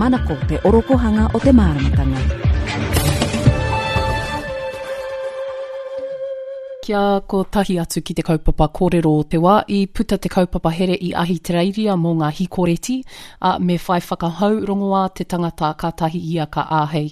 Manako te orokohanga o te māramatanga. Kia kotahi atu ki te kaupapa kōrero o te wā, i puta te kaupapa here i Ahitereiria mō ngā hikoreti, ā, me whai whakahau rongoā te tangata kātahi ia ka āhei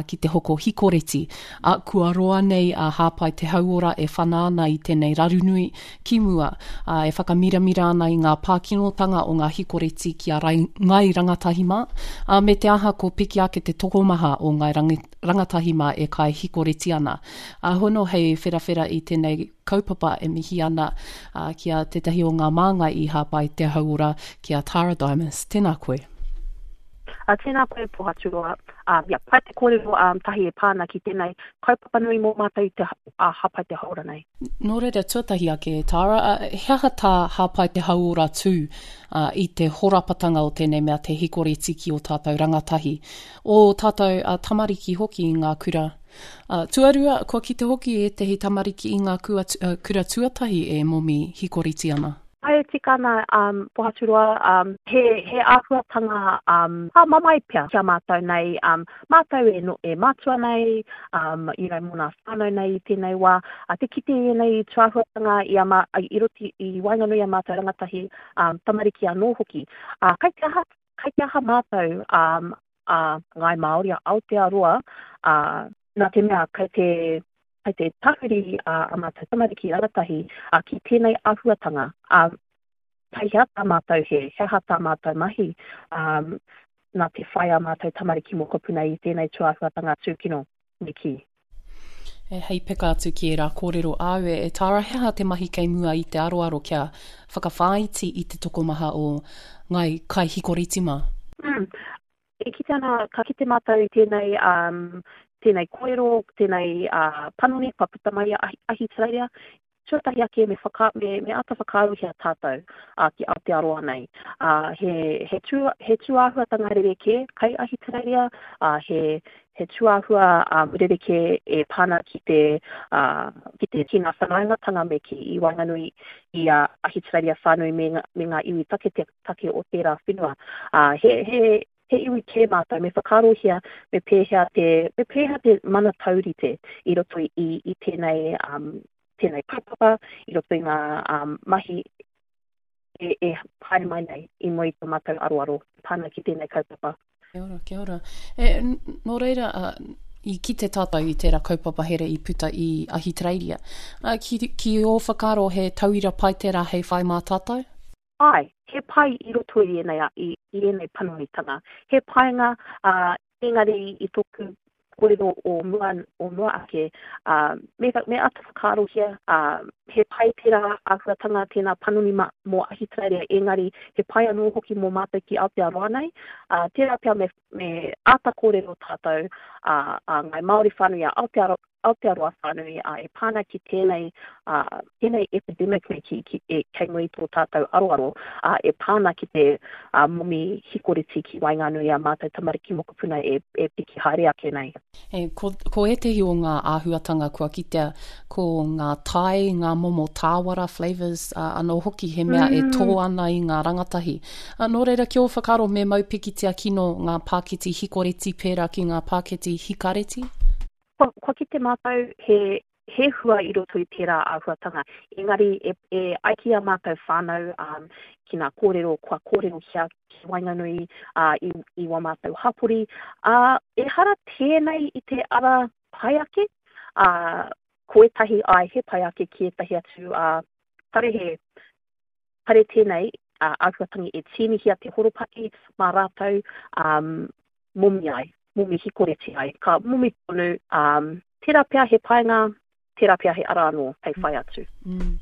ki te hoko hikoreti. Ā, kua roa nei a Hāpai Te Hauora e whana ana i tēnei raru nui ki mua, ā, e whakamiramira ana i ngā pākinotanga o ngā hikoreti ki a Ngāi Rangatahi mā, ā, me te aha ko piki ake te tokomaha o Ngāi Rangatahi mā e kai hikoreti ana. Ā, hono hei wherawhera i tēnei kaupapa e mihi ana ki a tētahi o ngā māngai i Hāpai Te Hauora, ki a Tara Dimas. Tēnā koe. Uh, tēnā koe Pohaturoa. Um, yeah, pai te kōrero um, tahi e pā ana ki tēnei kaupapa nui mō mātou i te uh, Hāpai Te Hauora nei. Nō reira, tuatahi ake, Tara, uh, he aha tā Hāpai Te Hauora tū uh, i te horapatanga o tēnei mea te hikoreti ki ō tātou rangatahi, ō tātou uh, tamariki hoki i ngā kura? Uh, tuarua, kua kite hoki ētehi tamariki i ngā kua, uh, kura tuatahi e momi hikoreti ana. Āe e tika ana, um, Pohaturoa, um, he, he āhuatanga um, pāmamae pea ki a mātou nei, um, mātou e, no, e mātua nei, um, you know, mō nā whānau nei i tēnei wā, a te kite i ēnei tūāhuatanga i, a mā, i roti, i waenganui i a mātou rangatahi, um, tamariki anō hoki. Uh, kai te aha, kai te aha mātou, um, a Ngāi Māori, a Aotearoa, ā, nā te mea kei te, kei te tahuri a, a mātou tamariki rangatahi ā, ki tēnei āhuatanga, ā, kei hea tā mātou he, he aha tā mātou mahi, ā, nā te whai a mātou tamariki mokopuna i tēnei tūāhuatanga tūkino, me kī. E, hei peka atu ki ērā kōrero āu e, e Tara, he aha te mahi kei mua i te aroaro kia whakawhāiti i te tokomaha o ngāi kaihikoriti mā? Mm. E kite ana, ka kite mātou i tēnei, um, tēnei kōrero, tēnei uh, panoni kua puta mai a Ahitereiria, Tuatahi ake me whaka, me, me āta whakaarohia tātou ā, ki Aotearoa nei. Ā, he, he, tū, he tūāhuatanga rerekē kei Ahitereiria, ā, he, he tūāhua um, rerekē e pā ana ki te, ā, ki te, ki ngā whanaungatanga me kī i waenganui i a Ahitereiria whānui me, me ngā iwi taketake o tērā whenua. Ā, he, he, he iwi kē mātou, me whakaarohia me pēhea te, me pēhea te mana taurite i roto i, i, i tēnei, um, tēnei kaupapa, i roto i ngā um, mahi e, e haere mai nei i mua i tō mātou aroaro e pā ana ki tēnei kaupapa. Kia ora, kia ora. E, nō reira, uh, i kite tātou i tērā kaupapa here i puta i Ahitereiria. Uh, ki, ki ō whakaaro he tauira pai tērā hei whai mā tātou? Āe, he pai i roto i ēnei, i, i ēnei panonitanga. He painga, ā, engari i tōku kōrero o mua, o mua ake, ā, me, me āta whakaarohia, ā, he pai tērā āhuatanga, tēnā panoni mā, mō Ahitereiria, engari he pai anō hoki mō mātou ki Aotearoa nei. Ā, tērā pea me, me āta kōrero tātou, ā, a Ngāi Māori whānui, a Aotearoa, Aotearoa whānui, ā, e pā ana ki tēnei, ā, tēnei epidemic nei ki, ki, e, kei muri i tō tātou aroaro, ā, e pā ana ki te, ā, momi hikoreti ki waenganui i ā mātou tamariki mokopuna e, e piki haere ake nei. E, ko, ko ētehi o ngā āhuatanga kua kitea, ko ngā tae, ngā momo tāwara, flavours, ā, anō hoki he mea e tō ana i ngā rangatahi. Ā, nō reira, ki ō whakaaro me mau pikitia kino ngā pāketi hikoreti pērā ki ngā pāketi hikareti? Kua, kua kite mātou he, he hua i roto i tērā āhuatanga, engari e, e ai ki ā mātou whānau, um, ki ngā kōrero kua kōrerohia ki waenganui uh, i, i wā mātou hapori, ā, ehara tēnei i te ara pai ake, ā, ko ētahi āe he pai ake ki ētahi atu, ā, kāre he, kāre tēnei āhuatangi e tīnihia te horopaki mā rātou um, momi ai, momi hikoreti ai. Ka momi tonu, um, tērā pea he painga, tērā pea he ara anō hei whai atu. Mm.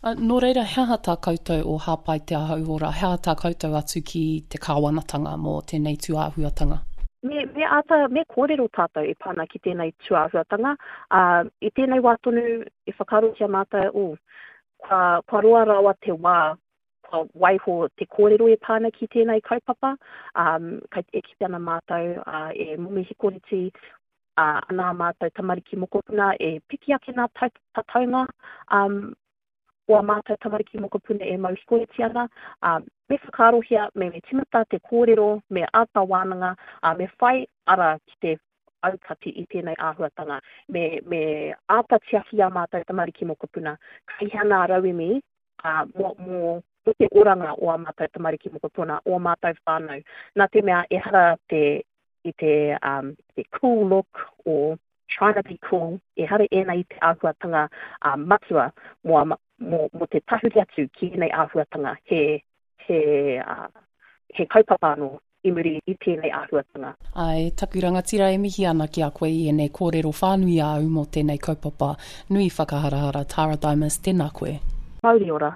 Uh, nō reira, he aha tā koutou o Hāpai Te Hauora, he aha tā koutou atu ki te kāwanatanga mō tēnei tūāhuatanga? Me, me āta, me kōrero tātou e pā ana ki tēnei tūāhuatanga. Uh, I tēnei wā tonu e whakaarotia mātou, oh, Kua, kua roa rawa te wā kua waiho te kōrero e pā ana ki tēnei kaupapa, um, kei, e kite ana mātou uh, e momi hikoreti uh, ana ā mātou tamariki mokopuna e piki ake nā tataunga um, o ā mātou tamariki mokopuna e mau hikoreti ana, uh, Me whakaarohia, me me timata te kōrero, me āta wānanga, ā, me whai ara ki te aukati i tēnei āhuatanga. Me, me āta tiaki ā mātou tamariki mokopuna. Kei hea nā rauemi, ā, mō, mō, mō te oranga o ā mātou tamariki mokopuna, o ā mātou whānau. Nā te mea ehara te, i te, um, te cool look or trying to be cool, ehara ēnei i te āhuatanga uh, matua mō, a, mō, mō te tahuri atu ki ēnei āhuatanga, he, he, uh, he kaupapa anō i muri i tēnei āhuatanga. Āe, taku rangatira e mihi ana ki a koe i ēnei kōrero whānui āu mō tēnei kaupapa nui whakaharahara Tara Dimas, tēnā koe. Mauri ora.